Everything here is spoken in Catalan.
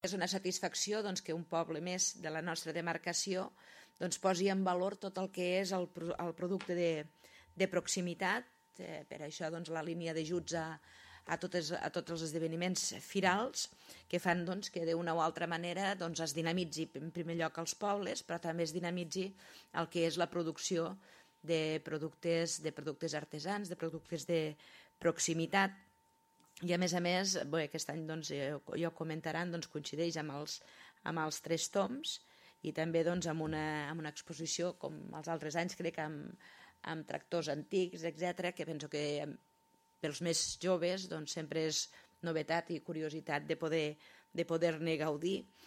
És una satisfacció que un poble més de la nostra demarcació posi en valor tot el que és el producte de proximitat. Per això la línia d'ajuts a tots els esdeveniments firals que fan que d'una o altra manera es dinamitzi en primer lloc els pobles, però també es dinamitzi el que és la producció de productes artesans, de productes de proximitat. I a més, aquest any ja ho comentaran, coincideix amb els 3 toms i també amb una exposició com els altres anys, crec, amb tractors antics, etc., que penso que pels més joves sempre és novetat i curiositat de poder-ne gaudir.